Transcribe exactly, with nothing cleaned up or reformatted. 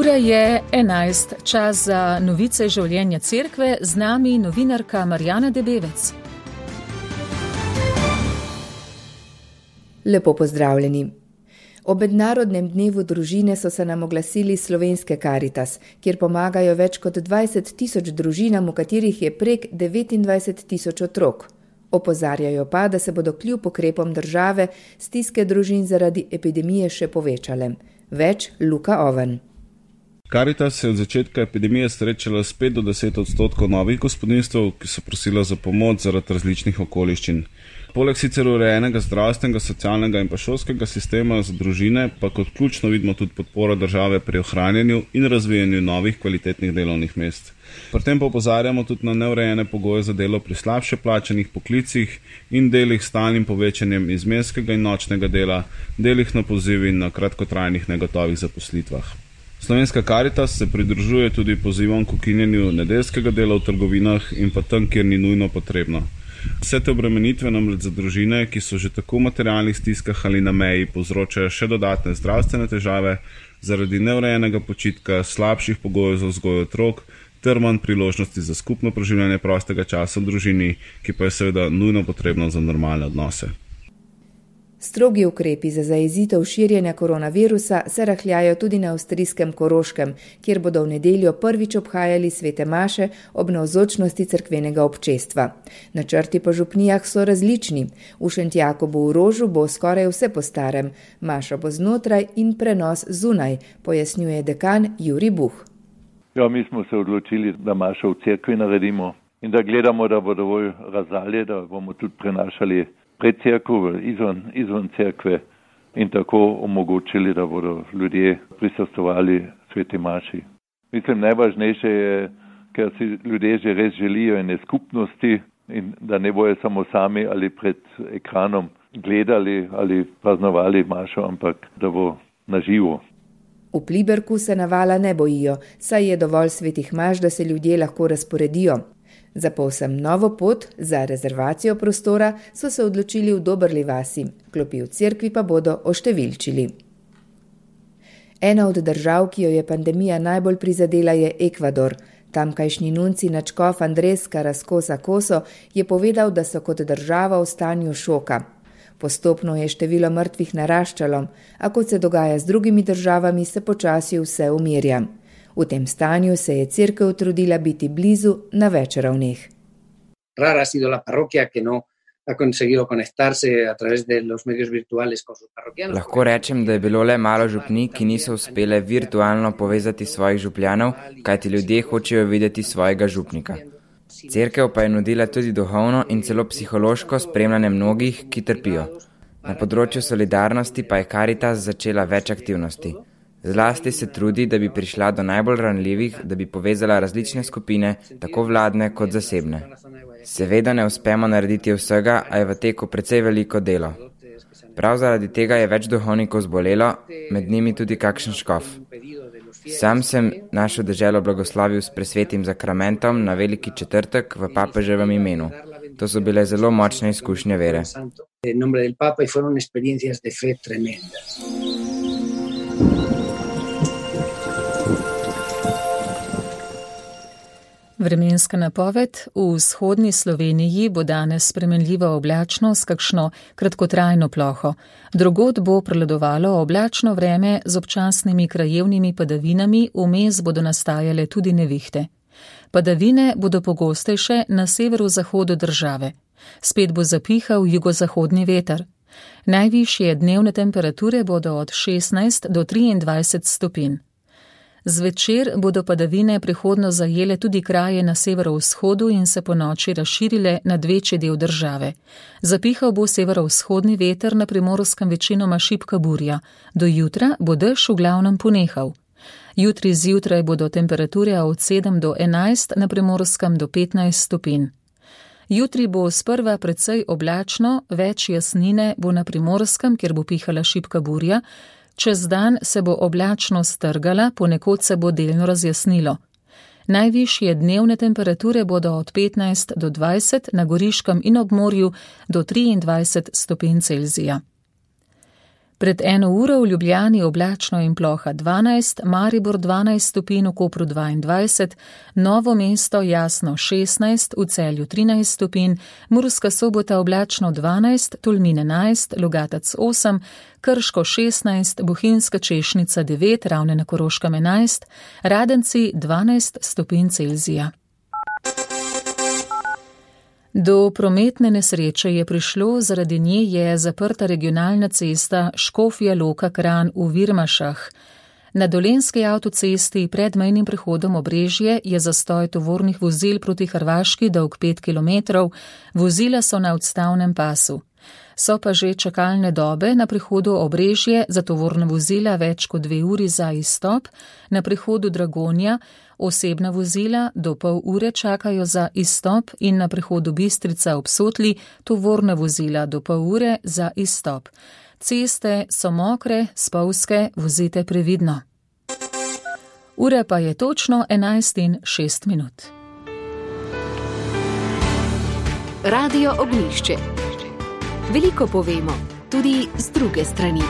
Ura je enajst, čas za novice življenja cerkve, z nami novinarka Marjana Debevec. Lepo pozdravljeni. Ob mednarodnem dnevu družine so se nam oglasili Slovenske Karitas, kjer pomagajo več kot dvajset tisoč družinam, v katerih je prek devetindvajset tisoč otrok. Opozarjajo pa, da se bodo kljub ukrepom države stiske družin zaradi epidemije še povečale. Več Luka Oven. Karitas se je od začetka epidemije srečala s pet do deset odstotkov novih gospodinjstev, ki so prosila za pomoč zaradi različnih okoliščin. Poleg sicer urejenega zdravstvenega, socialnega in pa šolskega sistema za družine, pa kot ključno vidimo tudi podporo države pri ohranjanju in razvijanju novih kvalitetnih delovnih mest. Pri tem pa opozarjamo tudi na neurejene pogoje za delo pri slabše plačanih poklicih in delih s stalnim povečanjem izmenskega in nočnega dela, delih na poziv in na kratkotrajnih negotovih zaposlitvah. Slovenska Karitas se pridružuje tudi pozivom k ukinjanju nedeljskega dela v trgovinah in pa tam, kjer ni nujno potrebno. Vse te obremenitve namreč za družine, ki so že tako v materialnih stiskah ali na meji, povzročajo še dodatne zdravstvene težave zaradi neurejenega počitka, slabših pogojev za vzgojo otrok ter manj priložnosti za skupno preživljanje prostega časa v družini, ki pa je seveda nujno potrebno za normalne odnose. Strogi ukrepi za zajezitev širjenja koronavirusa se rahljajo tudi na avstrijskem Koroškem, kjer bodo v nedeljo prvič obhajali svete maše ob navzočnosti cerkvenega občestva. Načrti po župnijah so različni. V Šentjakobu v Rožu bo skoraj vse po starem, maša bo znotraj in prenos zunaj, pojasnjuje dekan Jurij Buh. Ja, mi smo se odločili, da mašo v cerkvi naredimo in da gledamo, da bo dovolj razdalje, da bomo tudi prenašali pred cerkvo, izven, izven cerkve in tako omogočili, da bodo ljudje prisostvovali sveti maši. Mislim, najvažnejše je, ker si ljudje že res želijo ene skupnosti in da ne bojo samo sami ali pred ekranom gledali ali praznovali mašo, ampak da bo naživo. V Pliberku se navala ne bojijo, saj je dovolj svetih maš, da se ljudje lahko razporedijo. Za povsem novo pot, za rezervacijo prostora, so se odločili v Dobrli vasi, klopi v cerkvi pa bodo oštevilčili. Ena od držav, ki jo je pandemija najbolj prizadela, je Ekvador. Tamkajšnji nunci nadškof Andrés Carrascosa Coso je povedal, da so kot država v stanju šoka. Postopno je število mrtvih naraščalo, a kot se dogaja z drugimi državami, se počasi vse umirja. V tem stanju se je cerkev trudila biti blizu na več ravneh. Rara ha sido la parroquia que no ha conseguido conectarse a través de los medios virtuales con sus parroquianos. Lahko rečem, da je bilo le malo župnij, ki niso uspele virtualno povezati svojih župljanov, kajti ljudje hočejo videti svojega župnika. Cerkev pa je nudila tudi duhovno in celo psihološko spremljanje mnogih, ki trpijo. Na področju solidarnosti pa je Karitas začela več aktivnosti. Zlasti se trudi, da bi prišla do najbolj ranljivih, da bi povezala različne skupine, tako vladne kot zasebne. Seveda ne uspemo narediti vsega, a je v teku precej veliko delo. Prav zaradi tega je več duhovnikov zbolelo, med njimi tudi kakšen škof. Sam sem našo deželo blagoslovil s presvetim zakramentom na veliki četrtek v papeževem imenu. To so bile zelo močne izkušnje vere. Vremenska napoved. V vzhodni Sloveniji bo danes spremenljivo oblačno s kakšno kratkotrajno ploho. Drugod bo prevladovalo oblačno vreme z občasnimi krajevnimi padavinami, vmes bodo nastajale tudi nevihte. Padavine bodo pogostejše na severozahodu države. Spet bo zapihal jugozahodni veter. Najvišje dnevne temperature bodo od šestnajst do triindvajset stopinj. Zvečer bodo padavine prehodno zajele tudi kraje na severovzhodu in se po noči razširile nad večji del države. Zapihal bo severovzhodni veter, na Primorskem večinoma šibka burja. Do jutra bo dež v glavnem ponehal. Jutri zjutraj bodo temperature od sedem do enajst, na Primorskem do petnajst stopinj. Jutri bo sprva precej oblačno, več jasnine bo na Primorskem, kjer bo pihala šibka burja. Čez dan se bo oblačno strgala, ponekod se bo delno razjasnilo. Najvišje dnevne temperature bodo od petnajst do dvajset, na Goriškem in ob morju do triindvajset stopinj Celzija. Pred eno uro v Ljubljani oblačno in ploha dvanajst, Maribor dvanajst stopinj, v Kopru dvaindvajset, Novo mesto jasno šestnajst, v Celju trinajst stopinj, Murska Sobota oblačno dvanajst, Tolmin enajst, Logatec osem, Krško šestnajst, Bohinjska Češnica devet, Ravne na Koroškem enajst, Radenci dvanajst stopinj Celzija. Do prometne nesreče je prišlo, zaradi nje je zaprta regionalna cesta Škofja Loka-Kranj v Virmašah. Na dolenski avtocesti pred mejnim prehodom Obrežje je zastoj tovornih vozil proti Hrvaški dolg pet kilometrov, vozila so na odstavnem pasu. So pa že čakalne dobe na prehodu Obrežje za tovorna vozila več kot dve uri za izstop, na prehodu Dragonja osebna vozila do pol ure čakajo za izstop in na prehodu Bistrica ob Sotli tovorna vozila do pol ure za izstop. Ceste so mokre, spolzke, vozite previdno. Ura pa je točno enajst in šest minut. Radio Ognjišče. Veliko povemo, tudi z druge strani.